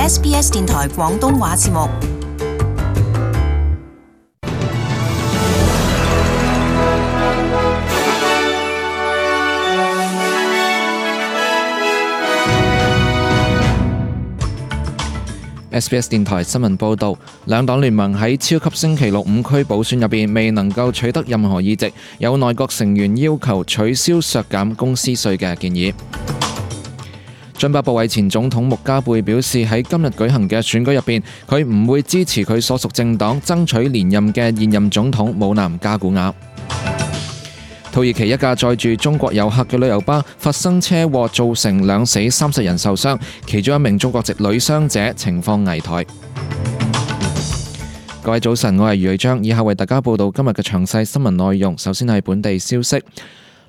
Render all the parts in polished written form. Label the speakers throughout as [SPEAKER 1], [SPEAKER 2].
[SPEAKER 1] SBS 電台廣東話節目。
[SPEAKER 2] SBS 電台新聞報導，兩黨聯盟喺超級星期六5區補選入邊未能夠取得任何議席，有內閣成員要求取消削減公司稅嘅建議。津巴布韋前總統穆加貝表示，喺今日舉行嘅選舉入邊，佢唔會支持佢所屬政黨爭取連任嘅現任總統姆南加古瓦。土耳其一架載住中國遊客嘅旅遊巴發生車禍，造成2死30人受傷，其中一名中國籍女傷者情況危殆。各位早晨，我係余偉章，以下為大家報道今日嘅詳細新聞內容。首先係本地消息。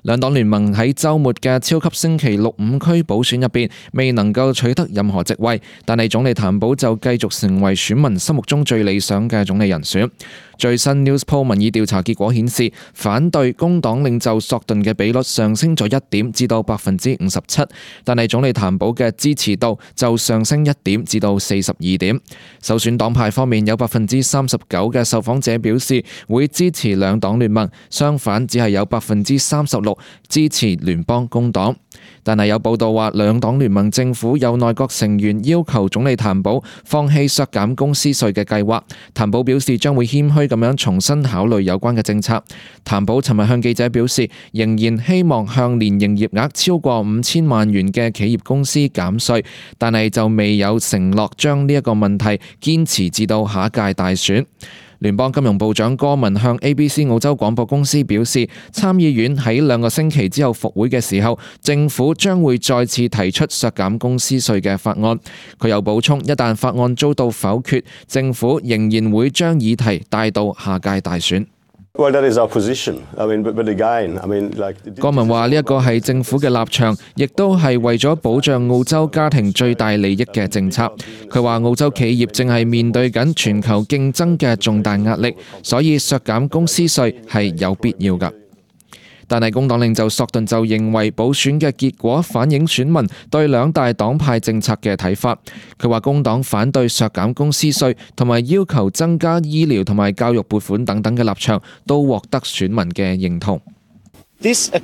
[SPEAKER 2] 兩黨聯盟喺週末嘅超級星期六5區補選入邊未能夠取得任何席位，但係總理譚寶就繼續成為選民心目中最理想嘅總理人選。最新 Newspoll 民意調查結果顯示，反對工黨領袖索頓嘅比率上升咗1點至到57%，但係總理譚寶嘅支持度就上升1點至到42點。首選黨派方面有39%嘅受訪者表示會支持兩黨聯盟，相反只係有36%支持聯邦工黨。但係有報道話，兩黨聯盟政府有內閣成員要求總理譚寶放棄削減公司稅嘅計劃。譚寶表示將會謙虛咁樣重新考慮有關嘅政策。譚寶尋日向記者表示，仍然希望向年營業額超過5000萬元嘅企業公司減稅，但係就未有承諾將呢一個問題堅持至到下一屆大選。聯邦金融部長戈文向 ABC 澳洲廣播公司表示，參議院喺2個星期之後復會嘅時候，政府將會再次提出削減公司稅嘅法案。佢又補充，一旦法案遭到否決，政府仍然會將議題帶到下屆大選。
[SPEAKER 3] Well, that is our position. But again, like
[SPEAKER 2] 郭文話呢一個係政府嘅立場，亦都係為咗保障澳洲家庭最大利益嘅政策。佢話澳洲企業正係面對緊全球競爭嘅重大壓力，所以削減公司稅係有必要㗎。但係工黨領袖索頓就認為補選嘅結果反映選民對兩大黨派政策嘅睇法。佢話工黨反對削減公司稅同埋要求增加醫療同埋教育撥款等等嘅立場都獲得選民嘅認同。索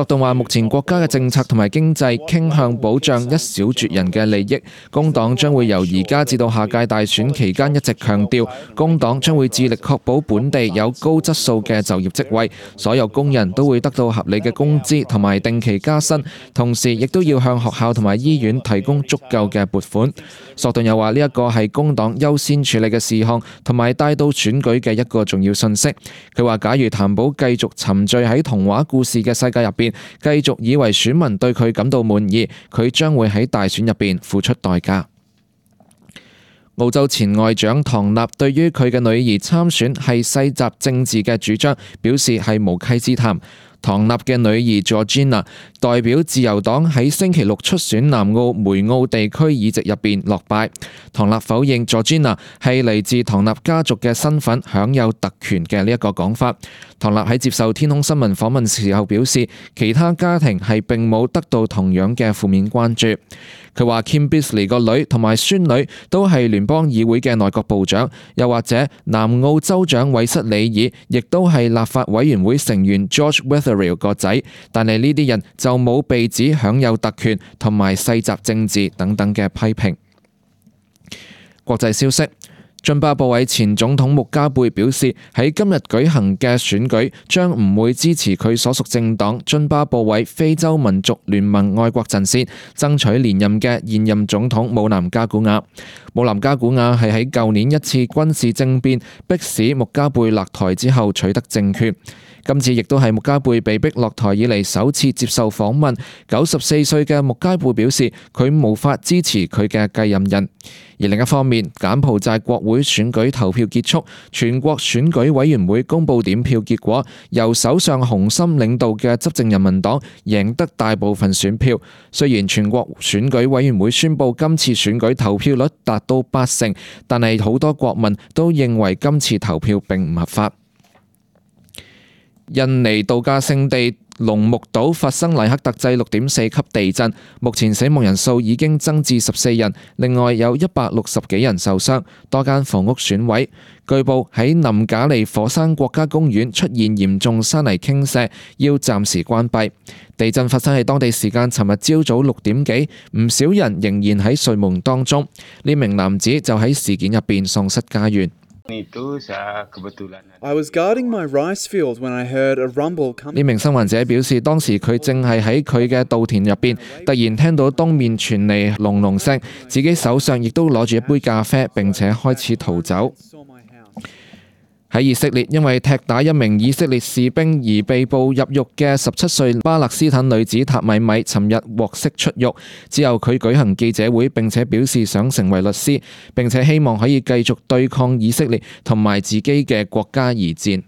[SPEAKER 2] 頓話目前國家嘅政策同埋經濟傾向保障一小撮人嘅利益，工黨將會由而家至到下屆大選期間一直強調，工黨將會致力確保本地有高質素嘅就業職位，所有工人都會得到合理嘅工資同埋定期加薪，同時亦都要向學校同埋醫院提供足夠嘅撥款。索頓又話呢一個係工黨優先處理嘅事項，同埋帶到選舉嘅一個重要信息。佢話假如譚寶繼續沉醉喺童話故事嘅世界入邊，繼續以為選民對佢感到滿意，佢將會喺大選入邊付出代價。澳洲前外長唐納對於佢嘅女兒參選係世襲政治嘅主張表示係無稽之談。唐納嘅女兒 Georgina 代表自由黨喺星期六出選南澳梅澳地區議席入邊落敗。唐納否認 Georgina 係嚟自唐納家族嘅身份享有特權嘅呢一個講法。唐納喺接受天空新聞訪問時候表示，其他家庭係並冇得到同樣嘅負面關注。佢話 Kim Bisley 個女同埋孫女都係聯邦議會嘅內閣部長，又或者南澳州長韋瑟里爾亦都係立法委員會成員 George Wetherill 個仔，但係呢啲人就冇被指享有特權同埋世襲政治等等嘅批評。國際消息。津巴布韋前總統穆加貝表示，喺今日舉行嘅選舉將唔會支持佢所屬政黨津巴布韋非洲民族聯盟愛國陣線爭取連任嘅現任總統姆南加古瓦。姆南加古瓦係喺舊年一次軍事政變迫使穆加貝落台之後取得政權。今次亦都係穆加貝被逼落台以嚟首次接受訪問。94歲嘅穆加貝表示，佢無法支持佢嘅繼任人。而另一方面，柬埔寨國會選舉投票結束，全國選舉委員會公佈點票結果，由首相洪森領導嘅執政人民黨贏得大部分選票。雖然全國選舉委員會宣布今次選舉投票率達到80%，但係好多國民都認為今次投票並唔合法。印尼度假勝地龍目島發生黎克特制6.4級地震，目前死亡人數已經增至14人，另外有160幾人受傷，多間房屋損毀。據報喺林賈利火山國家公園出現嚴重山泥傾瀉，要暫時關閉。地震發生喺當地時間尋日朝早6點幾，唔少人仍然喺睡夢當中。呢名男子就喺事件入邊喪失家園。
[SPEAKER 4] I was guarding my rice field when I heard a rumble coming.
[SPEAKER 2] 呢名生還者表示，當時佢正係喺佢嘅稻田入邊，突然聽到東面傳嚟隆隆聲，自己手上亦都攞住一杯咖啡，並且開始逃走。喺以色列，因為踢打一名以色列士兵而被捕入獄嘅17歲巴勒斯坦女子塔米米，尋日獲釋出獄。之後佢舉行記者會，並且表示想成為律師，並且希望可以繼續對抗以色列同埋自己嘅國家而戰。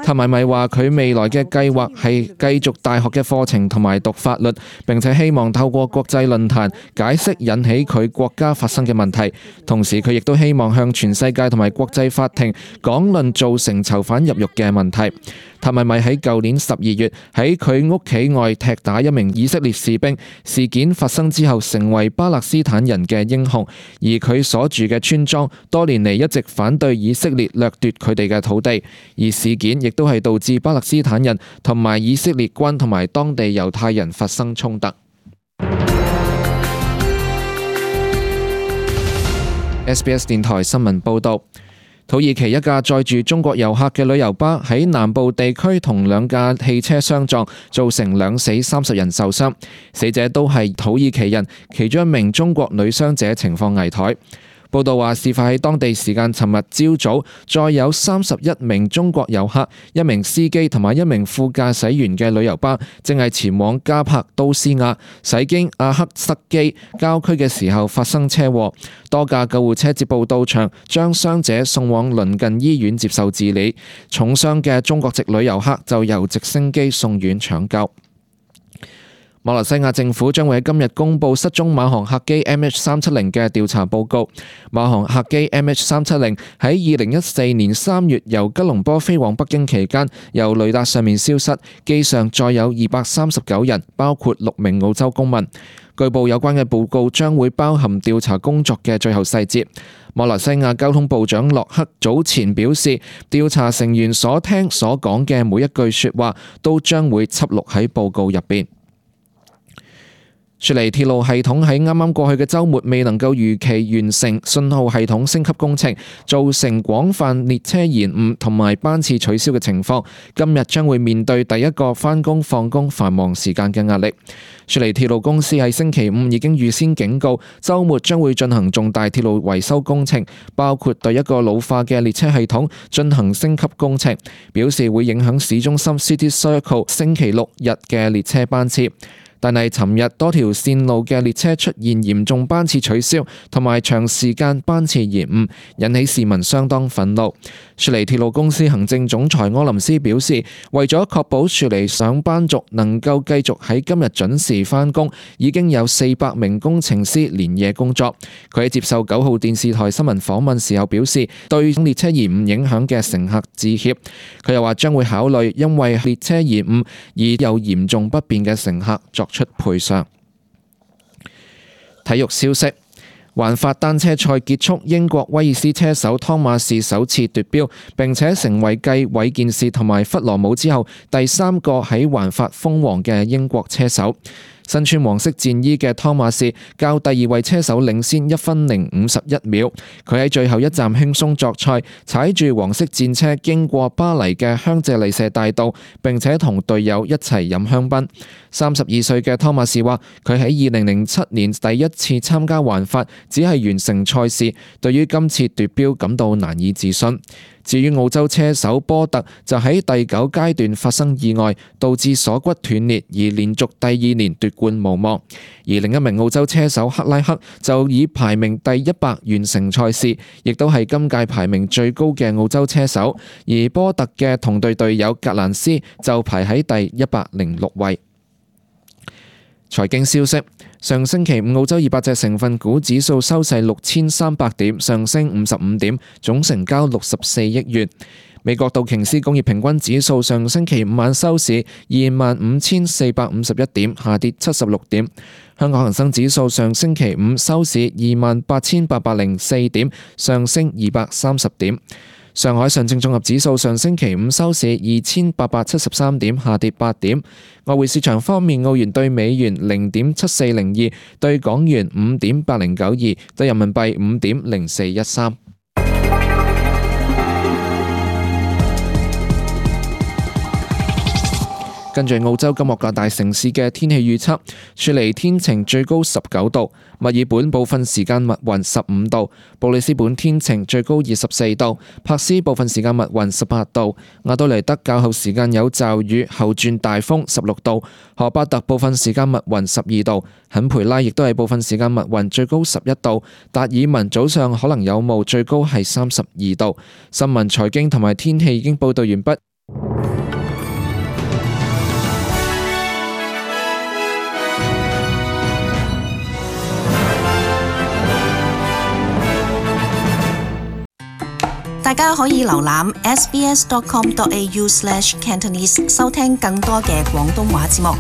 [SPEAKER 2] 塔米米話佢未來嘅計劃係繼續大學嘅課程同埋讀法律，並且希望透過國際論壇解釋引起佢國家發生嘅問題。同時佢亦都希望向全世界同埋國際法庭講論造成囚犯入獄嘅問題。塔米米喺舊年12月喺佢屋企外踢打一名以色列士兵，事件發生之後成為巴勒斯坦人嘅英雄，而佢所住嘅村莊多年嚟一直反對以色列掠奪佢哋嘅土地，而事件亦都係導致巴勒斯坦人同埋以色列軍同埋當地猶太人發生衝突。SBS 電台新聞報導。土耳其一架載住中國遊客嘅旅遊巴喺南部地區同兩架汽車相撞，造成2死30人受傷，死者都係土耳其人，其中一名中國女傷者情況危殆。報道話，事發喺當地時間尋日朝早，載有31名中國遊客、一名司機同埋一名副駕駛員嘅旅遊巴，正係前往加帕都斯亞，駛經阿克塞基郊區嘅時候發生車禍。多架救護車接報到場，將傷者送往鄰近醫院接受治理。重傷嘅中國籍旅遊客就由直升機送院搶救。馬來西亞政府將會喺今日公布失蹤馬航客機 MH370 嘅調查報告。馬航客機 MH370 喺2014年3月由吉隆坡飛往北京期間，由雷達上面消失，機上載有239人，包括6名澳洲公民。據報有關嘅報告將會包含調查工作嘅最後細節。馬來西亞交通部長洛克早前表示，調查成員所聽所講嘅每一句說話都將會輯錄喺報告入邊。雪梨鐵路系統喺啱啱過去嘅週末未能夠如期完成信號系統升級工程，造成廣泛列車延誤同埋班次取消嘅情況。今日將會面對第一個返工放工繁忙時間嘅壓力。雪梨鐵路公司喺星期5已經預先警告，週末將會進行重大鐵路維修工程，包括對一個老化嘅列車系統進行升級工程，表示會影響市中心 City Circle 星期6日嘅列車班次。但係尋日多條線路嘅列車出現嚴重班次取消同埋長時間班次延誤，引起市民相當憤怒。雪梨鐵路公司行政總裁柯林斯表示，為咗確保雪梨上班族能夠繼續喺今日準時返工，已經有400名工程師連夜工作。佢喺接受9號電視台新聞訪問時候表示，對列車延誤影響嘅乘客致歉。佢又話將會考慮因為列車延誤而有嚴重不便嘅乘客作出賠償。體育消息，環法單車賽結束，英國威爾斯車手湯馬士首次奪標，並且成為繼韋健士同埋弗羅姆之後第3個喺環法封王嘅英國車手。身穿黃色戰衣嘅湯馬士較第2位車手領先1分零51秒，佢喺最後一站輕鬆作賽，踩住黃色戰車經過巴黎嘅香榭麗舍大道，並且同隊友一齊飲香檳。32歲嘅湯馬士話，佢喺2007年第一次參加環法，只係完成賽事，對於今次奪標感到難以置信。至於澳洲車手波特就喺第9階段發生意外，導致鎖骨斷裂，而連續第2年奪冠無望。而另一名澳洲車手克拉克就以排名第100完成賽事，亦都係今屆排名最高嘅澳洲車手。而波特嘅同隊隊友格蘭斯就排喺第106位。財經消息，上星期5澳洲200隻成分股指數收市6300點，上升55點，總成交64億元。美國道瓊斯工業平均指數上星期五晚收市25,451點，下跌76點。香港恒生指數上星期五收市28,804點，上升230點。上海上證綜合指數上星期五收市2,873點，下跌8點。外匯市場方面，澳元對美元0.7402，對港元5.8092，對人民幣5.0413。跟住澳洲今日各大城市嘅天氣預測：雪梨天晴，最高19度；墨爾本部分時間密雲15度；布里斯本天晴，最高24度；珀斯部分時間密雲18度；亞都尼德較後時間有驟雨，後轉大風16度；荷巴特部分時間密雲12度；肯培拉亦都係部分時間密雲，最高11度；達爾文早上可能有霧，最高係32度。新聞、財經同埋天氣已經報導完畢。
[SPEAKER 1] 大家可以瀏覽 sbs.com.au/cantonese 收聽更多嘅廣東話節目。